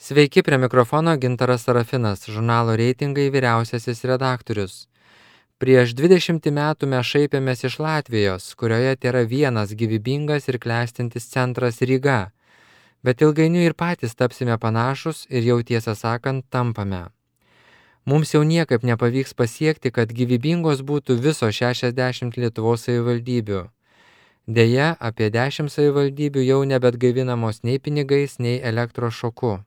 Sveiki, prie mikrofono Gintaras Sarafinas, žurnalo Reitingai vyriausiasis redaktorius. Prieš 20 metų mes šaipėmės iš Latvijos, kurioje tėra vienas gyvybingas ir klestintis centras Ryga, bet ilgainiui ir patys tapsime panašus ir jau tiesą sakant tampame. Mums jau niekaip nepavyks pasiekti, kad gyvybingos būtų viso 60 Lietuvos savivaldybių. Deja, apie 10 savivaldybių jau nebetgaivinamos nei pinigais, nei elektros šoku.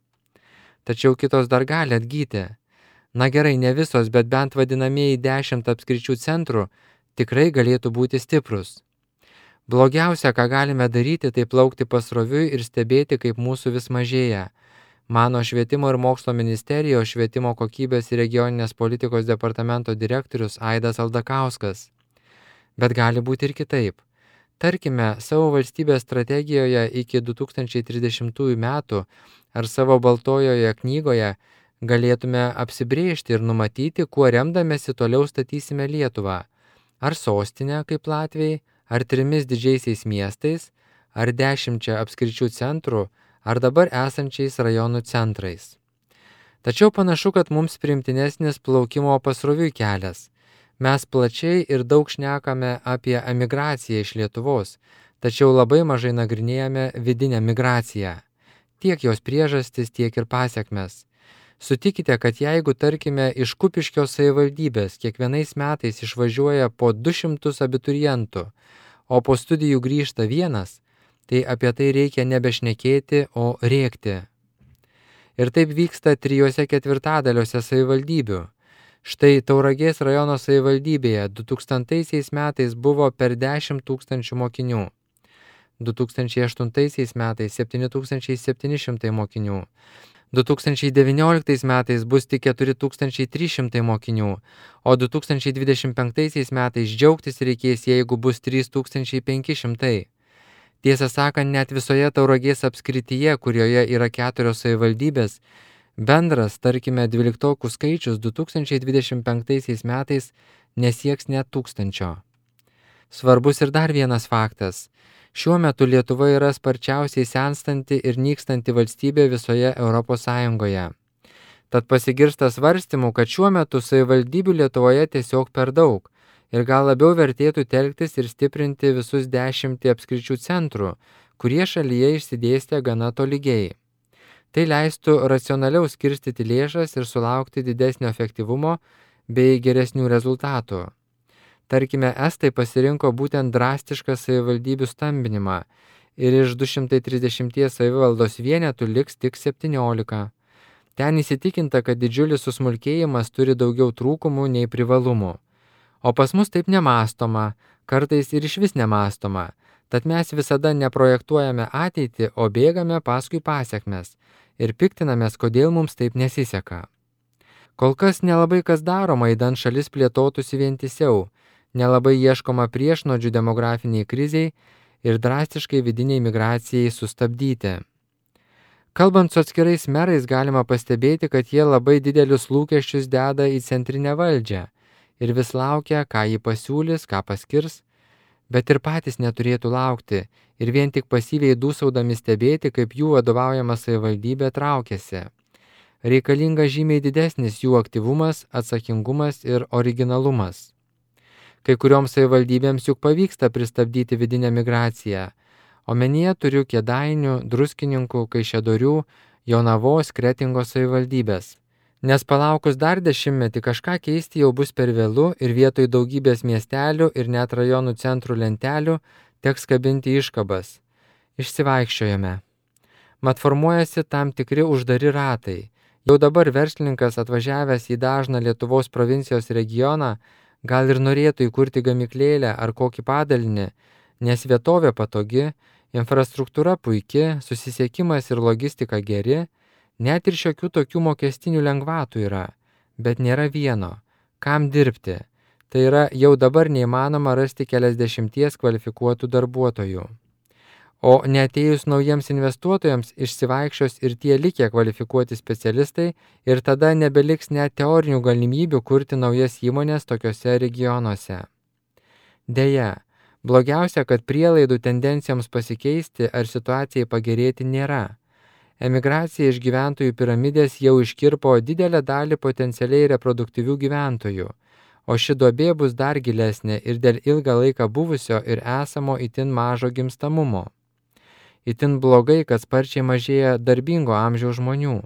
Tačiau kitos dar gali atgyti. Na gerai, ne visos, bet bent vadinamieji 10 apskričių centrų tikrai galėtų būti stiprus. Blogiausia, ką galime daryti, tai plaukti pasroviui ir stebėti, kaip mūsų vis mažėja. Mano Švietimo ir mokslo ministerijos švietimo kokybės ir regioninės politikos departamento direktorius Aidas Aldakauskas. Bet gali būti ir kitaip. Tarkime, savo valstybės strategijoje iki 2030 metų ar savo baltojoje knygoje galėtume apsibrėžti ir numatyti, kuo remdamėsi toliau statysime Lietuvą. Ar sostinę kaip Latvijai, ar 3 didžiaisiais miestais, ar 10 apskričių centrų, ar dabar esančiais rajonų centrais. Tačiau panašu, kad mums priimtinesnis plaukimo pasroviui kelias. Mes plačiai ir daug šnekame apie emigraciją iš Lietuvos, tačiau labai mažai nagrinėjame vidinę migraciją. Tiek jos priežastis, tiek ir pasiekmes. Sutikite, kad jeigu, tarkime, iš Kupiškio savivaldybės kiekvienais metais išvažiuoja po 200 abiturientų, o po studijų grįžta vienas, tai apie tai reikia nebešnekėti, o rėkti. Ir taip vyksta 3/4 savivaldybių. Štai Tauragės rajono savivaldybėje 2000 metais buvo per 10 000 mokinių, 2008 metais 7700 mokinių, 2019 metais bus tik 4300 mokinių, o 2025 metais džiaugtis reikės, jeigu bus 3500. Tiesą sakant, net visoje Tauragės apskrityje, kurioje yra 4 savivaldybės, bendras, tarkime, 12 skaičius 2025 metais nesieks net 1000. Svarbus ir dar vienas faktas. Šiuo metu Lietuva yra sparčiausiai senstanti ir nykstanti valstybė visoje Europos Sąjungoje. Tad pasigirsta svarstymų, kad šiuo metu savivaldybių Lietuvoje tiesiog per daug ir gal labiau vertėtų telktis ir stiprinti visus 10 apskričių centrų, kurie šalyje išsidėstė gana tolygiai. Tai leistų racionaliau skirstyti lėšas ir sulaukti didesnio efektyvumo bei geresnių rezultatų. Tarkime, estai pasirinko būtent drastišką savivaldybių stambinimą ir iš 230 savivaldos vienetų liks tik 17. Ten įsitikinta, kad didžiulis susmulkėjimas turi daugiau trūkumų nei privalumų. O pas mus taip nemąstoma, kartais ir išvis nemąstoma, tad mes visada neprojektuojame ateitį, o bėgame paskui pasiekmes ir piktinamės, kodėl mums taip nesiseka. Kol kas nelabai kas daroma, idant šalis plėtotųsi vientisiau, nelabai ieškoma priešnodžių demografiniai kriziai ir drastiškai vidiniai migracijai sustabdyti. Kalbant su atskirais merais, galima pastebėti, kad jie labai didelius lūkesčius deda į centrinę valdžią ir vis laukia, ką ji pasiūlys, ką paskirs, bet ir patys neturėtų laukti ir vien tik pasyviai dūsaudami stebėti, kaip jų vadovaujama savivaldybė traukiasi. Reikalinga žymiai didesnis jų aktyvumas, atsakingumas ir originalumas. Kai kurioms savivaldybėms juk pavyksta pristabdyti vidinę migraciją. Omenyje turiu Kėdainių, Druskininkų, Kaišiadorių, Jonavos, Kretingos savivaldybės. Nes palaukus dar 10 kažką keisti jau bus per vėlu ir vietoj daugybės miestelių ir net rajonų centrų lentelių teks kabinti iškabas. Išsivaikščiojame. Mat formuojasi tam tikri uždari ratai. Jau dabar verslininkas atvažiavęs į dažną Lietuvos provincijos regioną gal ir norėtų įkurti gamyklėlę ar kokį padalinį, nes vietovė patogi, infrastruktūra puiki, susisiekimas ir logistika geri, net ir šiokių tokių mokestinių lengvatų yra, bet nėra vieno. Kam dirbti? Tai yra jau dabar neįmanoma rasti keliasdešimties kvalifikuotų darbuotojų. O neatėjus naujiems investuotojams išsivaikščios ir tie likę kvalifikuoti specialistai ir tada nebeliks net teorinių galimybių kurti naujas įmonės tokiuose regionuose. Deja, blogiausia, kad prielaidų tendencijoms pasikeisti ar situacijai pagerėti nėra. Emigracija iš gyventojų piramidės jau iškirpo didelę dalį potencialiai reproduktyvių gyventojų, o ši duobė bus dar gilesnė ir dėl ilgą laiką buvusio ir esamo itin mažo gimstamumo. Itin blogai, kad sparčiai mažėja darbingo amžiaus žmonių.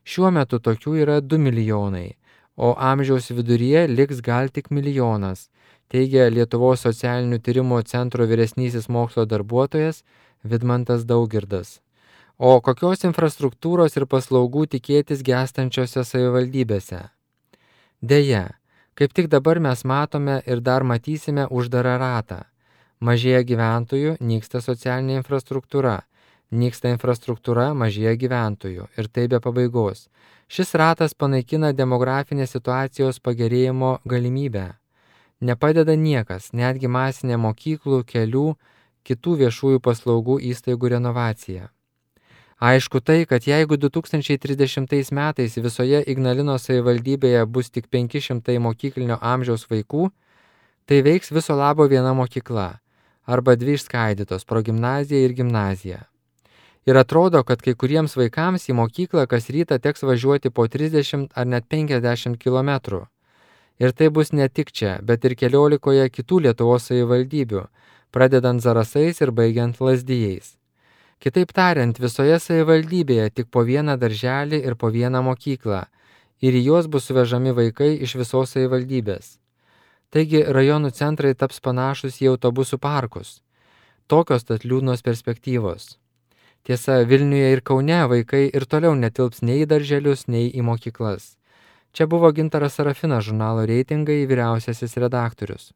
Šiuo metu tokių yra 2 milijonai, o amžiaus viduryje liks gal tik 1 milijonas, teigia Lietuvos socialinių tyrimų centro vyresnysis mokslo darbuotojas Vidmantas Daugirdas. O kokios infrastruktūros ir paslaugų tikėtis gęstančiose savivaldybėse? Deja, kaip tik dabar mes matome ir dar matysime uždarą ratą. Mažėja gyventojų, nyksta socialinė infrastruktūra. Nyksta infrastruktūra, mažėja gyventojų. Ir tai be pabaigos. Šis ratas panaikina demografinės situacijos pagerėjimo galimybę. Nepadeda niekas, netgi masinė mokyklų, kelių, kitų viešųjų paslaugų įstaigų renovacija. Aišku tai, kad jeigu 2030 metais visoje Ignalinos savivaldybėje bus tik 500 mokyklinio amžiaus vaikų, tai veiks viso labo viena mokykla arba 2 išskaidytos progimnazija ir gimnazija. Ir atrodo, kad kai kuriems vaikams į mokyklą kas rytą teks važiuoti po 30 ar net 50 km. Ir tai bus ne tik čia, bet ir 14 kitų Lietuvos savivaldybių, pradedant Zarasais ir baigiant Lazdijais. Kitaip tariant, visoje savivaldybėje tik po vieną darželį ir po vieną mokyklą, ir į juos bus suvežami vaikai iš visos savivaldybės. Taigi rajonų centrai taps panašus į autobusų parkus. Tokios tad liūdnos perspektyvos. Tiesa, Vilniuje ir Kaune vaikai ir toliau netilps nei į darželius, nei į mokyklas. Čia buvo Gintaras Sarafinas, žurnalo Reitingai vyriausiasis redaktorius.